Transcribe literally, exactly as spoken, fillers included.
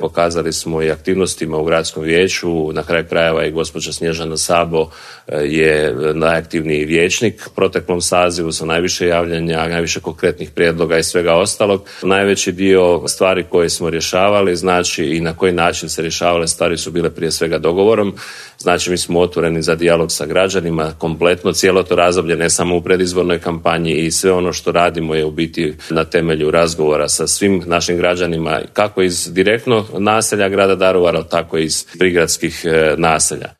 Pokazali smo i aktivnostima u gradskom vijeću, na kraju krajeva i gospođa Snježana Sabo je najaktivniji vijećnik u proteklom sazivu sa najviše javljanja, najviše konkretnih prijedloga i svega ostalog. Najveći dio stvari koje smo rješavali, znači i na koji način se rješavale stvari su bile prije svega dogovorom. Znači mi smo otvoreni za dijalog sa građanima, kompletno cijelo to razdoblje, ne samo u predizbornoj kampanji, i sve ono što radimo je u biti na temelju razgovora sa svim našim građanima, kako iz direktno naselja grada Daruvara, tako i iz prigradskih naselja.